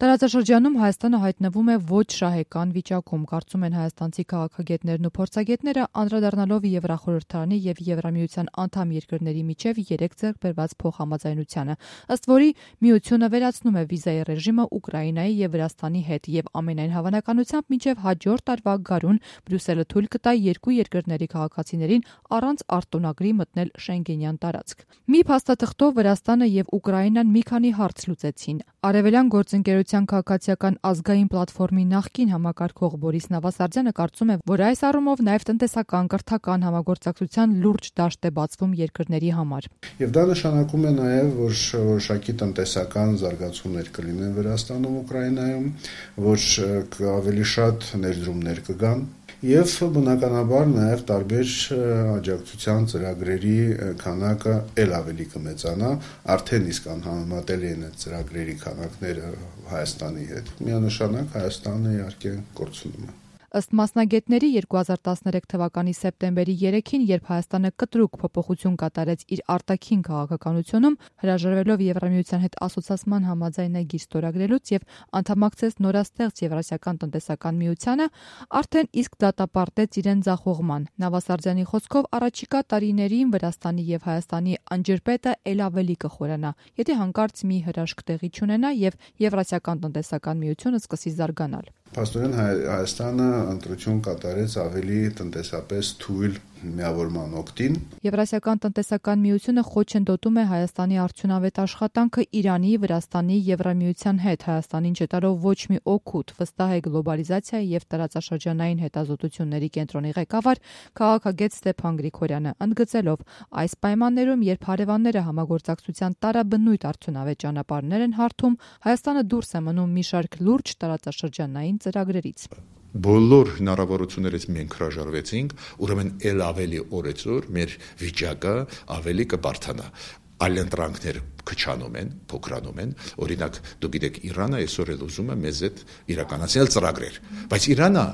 Տարածաշրջանում Հայաստանը հայտնվում է ոչ շահեկան վիճակում, կարծում են հայաստանցի քաղաքագետներն ու փորձագետները, անդրադառնալով Եվրախորհրդարանի եւ Եվրամիության անդամ երկրների միջև 3 ձեռք բերված փոխհամաձայնությանը, ըստ որի միությունը վերացնում է վիզայի ռեժիմը Ուկրաինայի եւ Վրաստանի հետ եւ ամենայն հավանականությամբ մինչեւ հաջորդ տարվա գարուն Բրյուսելը թույլ կտա երկու երկրների քաղաքացիներին առանց արտոնագրի մտնել Շենգենյան տարածք։ Մի փաստաթղթով Վրաստանը եւ Ուկրաինան մի քանի հարց լուծեցին։ Արևելյան գործընկերության քաղաքացիական ազգային պլատֆորմի նախկին համակարգող Բորիս Նավասարդյանը կարծում է, որ այս առումով նաև տնտեսական կրթական համագործակցության լուրջ դաշտ է բացվում երկրների համար։ Եվ դա նշանակում է նաև, որ որոշակի տնտեսական զարգացումներ կլինեն Վրաստանում, Ուկրաինայում, որ ավելի շատ ներդրումներ կգան։ Եվ բնականաբար նաև տարբեր աջակցության ծրագրերի քանակը ել ավելի կմեծանա, արդեն իսկ անհամեմատելի են այդ ծրագրերի քանակները Հայաստանի հետ։ Միանշանակ Հայաստանը իհարկե կորցնում է։ Ըստ մասնագետների 2013 թվականի սեպտեմբերի 3-ին, երբ Հայաստանը կտրուկ փոփոխություն կատարեց իր արտաքին քաղաքականությունում, հրաժարվելով Եվրամիության հետ ասոցիացման համաձայնագիր ստորագրելուց եւ անդամակցեց նորաստեղծ Եվրասիական տնտեսական միությանը, արդեն իսկ դատապարտեց իրեն ձախողման։ Նավասարդյանի խոսքով առաջիկա տարիներին Վրաստանի եւ Հայաստանի անջրպետը ել ավելի կխորանա, եթե հանկարծ մի հրաշք տեղի չունենա եւ Եվրասիական տնտեսական միությունը սկսի զարգանալ։ Փաստորեն Հայաստանը ընտրություն կատարեց ավելի տնտեսապես թույլ միավորման օգտին։ Եվրասիական տնտեսական միությունը խոչընդոտում է Հայաստանի արդյունավետ աշխատանքը Իրանի, Վրաստանի, Եվրամիության հետ, Հայաստանին չտալով ոչ մի օգուտ, վստահ է գլոբալիզացիայի եւ տարածաշրջանային հետազոտությունների կենտրոնի ղեկավար քաղաքագետ Ստեփան Գրիգորյանը, ընդգծելով այս պայմաններում, երբ հարևանները համագործակցության տարաբնույթ արդյունավետ ճանապարհներ են հարթում, Հայաստանը դուրս է մնում մի շարք լուրջ տարածաշրջանային ծրագրերից։ Բոլոր հնարավորություններից մենք հրաժարվեցինք, ուրեմն ել ավելի օրեցօր մեր վիճակը ավելի կբարթանա։ Այլ ընտրանքներ քչանում են, փոքրանում են։ Օրինակ, դուք գիտեք, Իրանը այսօր էլ ուզում է մեզ հետ իրականացնել ծրագրեր, բայց Իրանը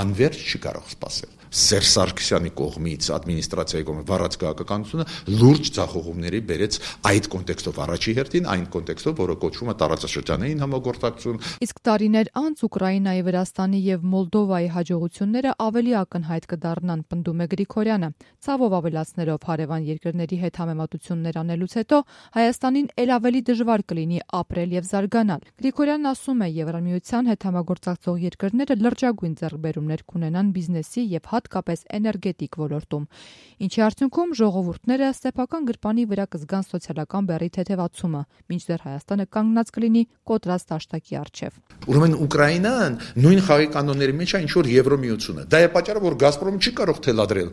անվերջ չի կարող սպասել։ Սերժ Սարգսյանի կողմից, ադմինիստրացիայի կողմից վարած քաղաքականությունը լուրջ ձախողումների բերեց այդ կոնտեքստով առաջի հերթին, այն կոնտեքստով, որը կոչվում է տարածաշրջանային համագործակցություն։ Իսկ տարիներ անց Ուկրաինայի, Վրաստանի եւ Մոլդովայի հաջողությունները ավելի ակնհայտ կդառնան, պնդում է Գրիգորյանը, ցավով ավելացնելով հարևան երկրների հետ համեմատություններ անելուց հետո Հայաստանին ել ավելի դժվար կլինի ապրել եւ զարգանալ։ Գրիգորյանն ասում է, Եվրամիության հետ համագործակցող երկրները լրջագույն ձեռքբերումներ կունենան բիզնեսի եւ հատկապես էներգետիկ ոլորտում, ինչի արդյունքում ժողովուրդները սեփական գրպանի վրա կզգան սոցիալական բեռի թեթևացումը, մինչդեռ Հայաստանը կանգնած կլինի կոտրած դաշտակի առջև։ Ուրեմն Ուկրաինան նույն խաղի կանոնների մեջ է, ինչ որ Եվրամիությունը։ Դա է պատճառը, որ Գազպրոմը չի կարող թելադրել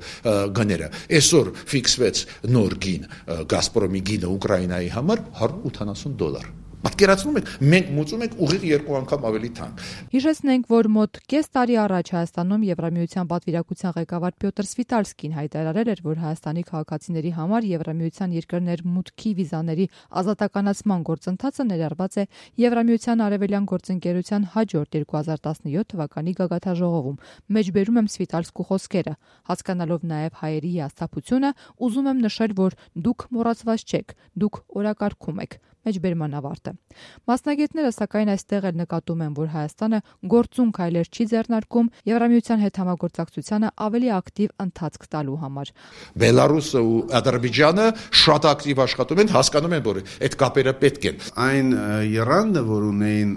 գները։ Այսօր ֆիքսվեց նոր գին, Գազպրոմի գինը Ուկրաինայի համար $180։ Պատկերացնում եք, մենք մուծում ենք ուղիղ 2 անգամ ավելի թանկ։ Հիշեցնենք, որ մոտ կես տարի առաջ Հայաստանում Եվրամիության պատվիրակության ղեկավար Պյոտր Սվիտալսկին հայտարարել էր, որ Հայաստանի քաղաքացիների համար Եվրամիության երկրներ մուտքի վիզաների ազատականացման գործընթացը ներառված է Եվրամիության արևելյան գործընկերության հաջորդ 2017 թվականի գագաթաժողովում։ Մեջբերում եմ Սվիտալսկու խոսքերը, հասկանալով նաև հայերի հիասթափությունը, ուզում եմ նշել, որ դուք մոռացված չեք, դուք օրակարգում եք։ Մեջբերման ավարտը։ Մասնագետները սակայն այստեղ էլ նկատում են, որ Հայաստանը գործուն քայլեր չի ձեռնարկում Եվրամիության հետ համագործակցությանը ավելի ակտիվ ընթացք տալու համար։ Բելարուսը ու Ադրբեջանը շատ ակտիվ աշխատում են, հասկանում են, որ այդ կապերը պետք են։ Այն եռանդը, որ ունեին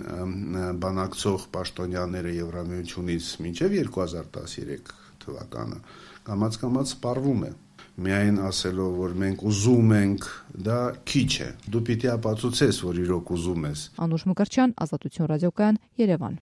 բանակցող պաշտոնյաները Եվրամիությունից մինչև 2013 թվականը, կամաց-կամաց սպառվում է։ Միայն ասելով, որ մենք ուզում ենք, դա քիչ է։ Դու պիտի ապացուցես, որ իրոք ուզում ես։ Անուշ Մկրտչյան, Ազատություն ռադիոկայան, Երևան։